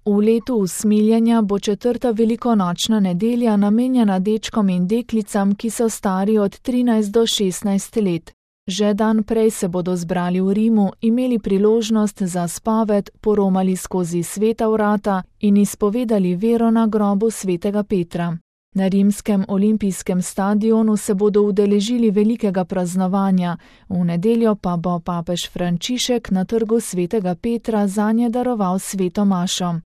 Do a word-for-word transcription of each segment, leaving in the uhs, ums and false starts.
V letu usmiljenja bo četrta velikonočna nedelja namenjena dečkom in deklicam, ki so stari od trinajst do šestnajst let. Že dan prej se bodo zbrali v Rimu, imeli priložnost za spoved, poromali skozi sveta vrata in izpovedali vero na grobu svetega Petra. Na rimskem olimpijskem stadionu se bodo udeležili velikega praznovanja, v nedeljo pa bo papež Frančišek na trgu svetega Petra zanje daroval sveto mašo.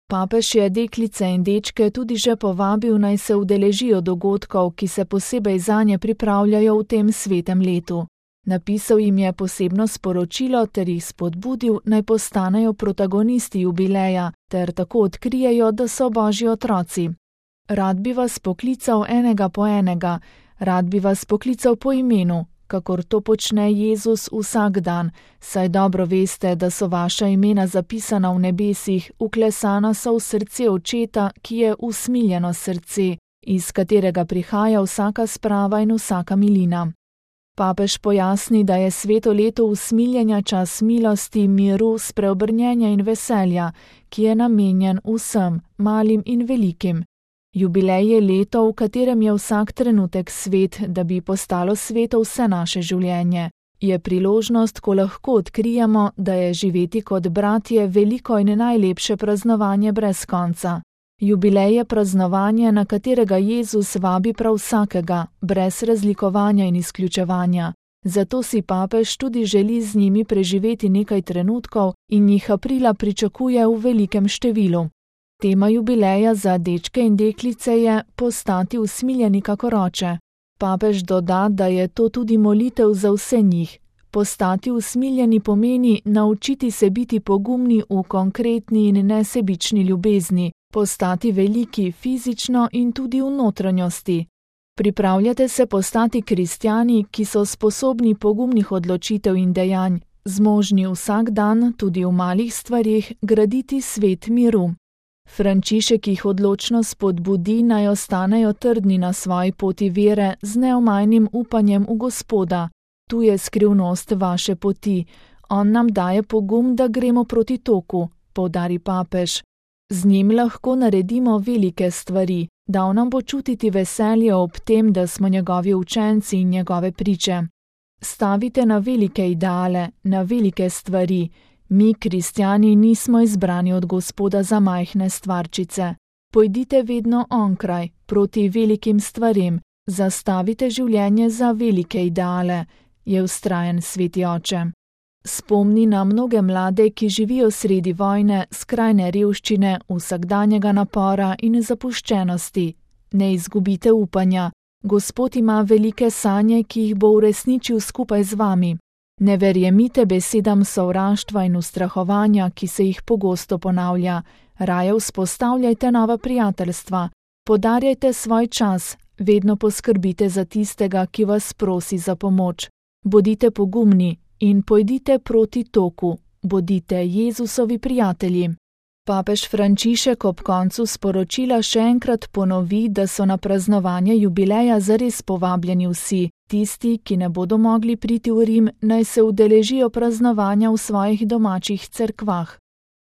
Papež je deklice in dečke tudi že povabil, naj se udeležijo dogodkov, ki se posebej zanje pripravljajo v tem svetem letu. Napisal jim je posebno sporočilo ter jih spodbudil, naj postanejo protagonisti jubileja ter tako odkrijejo, da so božji otroci. Rad bi vas poklical enega po enega, rad bi vas poklical po imenu, kakor to počne Jezus vsak dan, saj dobro veste, da so vaša imena zapisana v nebesih, vklesana so v srce Očeta, ki je usmiljeno srce, iz katerega prihaja vsaka sprava in vsaka milina. Papež pojasni, da je sveto leto usmiljenja čas milosti, miru, spreobrnjenja in veselja, ki je namenjen vsem, malim in velikim. Jubilej je leto, v katerem je vsak trenutek svet, da bi postalo sveto vse naše življenje. Je priložnost, ko lahko odkrijemo, da je živeti kot bratje veliko in najlepše praznovanje brez konca. Jubilej je praznovanje, na katerega Jezus vabi prav vsakega, brez razlikovanja in izključevanja. Zato si papež tudi želi z njimi preživeti nekaj trenutkov in jih aprila pričakuje v velikem številu. Tema jubileja za dečke in deklice je postati usmiljeni kakor oče. Papež doda, da je to tudi molitev za vse njih. Postati usmiljeni pomeni naučiti se biti pogumni v konkretni in nesebični ljubezni, postati veliki fizično in tudi v notranjosti. Pripravljate se postati kristjani, ki so sposobni pogumnih odločitev in dejanj, zmožni vsak dan, tudi v malih stvarih, graditi svet miru. Frančišek jih odločno spodbudi, naj ostanejo trdni na svoji poti vere z neomajnim upanjem v Gospoda. Tu je skrivnost vaše poti. On nam daje pogum, da gremo proti toku, poudari papež. Z njim lahko naredimo velike stvari, dal nam bo čutiti veselje ob tem, da smo njegovi učenci in njegove priče. Stavite na velike ideale, na velike stvari. Mi, kristjani, nismo izbrani od Gospoda za majhne stvarčice. Pojdite vedno onkraj, proti velikim stvarem, zastavite življenje za velike ideale, je vztrajen sveti oče. Spomni na mnoge mlade, ki živijo sredi vojne, skrajne revščine, vsakdanjega napora in zapuščenosti. Ne izgubite upanja. Gospod ima velike sanje, ki jih bo uresničil skupaj z vami. Ne verjemite besedam sovraštva in ustrahovanja, ki se jih pogosto ponavlja. Raje vzpostavljajte nova prijateljstva. Podarjajte svoj čas, vedno poskrbite za tistega, ki vas prosi za pomoč. Bodite pogumni in pojdite proti toku. Bodite Jezusovi prijatelji. Papež Frančišek ob koncu sporočila še enkrat ponovi, da so na praznovanje jubileja zares povabljeni vsi. Tisti, ki ne bodo mogli priti v Rim, naj se udeležijo praznovanja v svojih domačih cerkvah.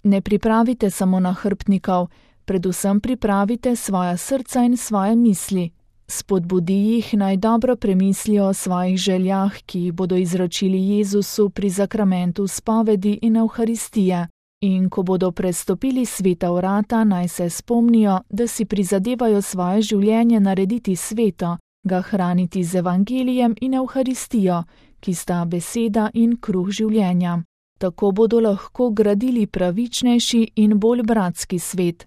Ne pripravite samo nahrbtnikov, predvsem pripravite svoja srca in svoje misli. Spodbudi jih, naj dobro premislijo o svojih željah, ki jih bodo izročili Jezusu pri zakramentu spovedi in Evharistije. In ko bodo prestopili sveta vrata, naj se spomnijo, da si prizadevajo svoje življenje narediti sveto, ga hraniti z evangelijem in Evharistijo, ki sta beseda in kruh življenja. Tako bodo lahko gradili pravičnejši in bolj bratski svet.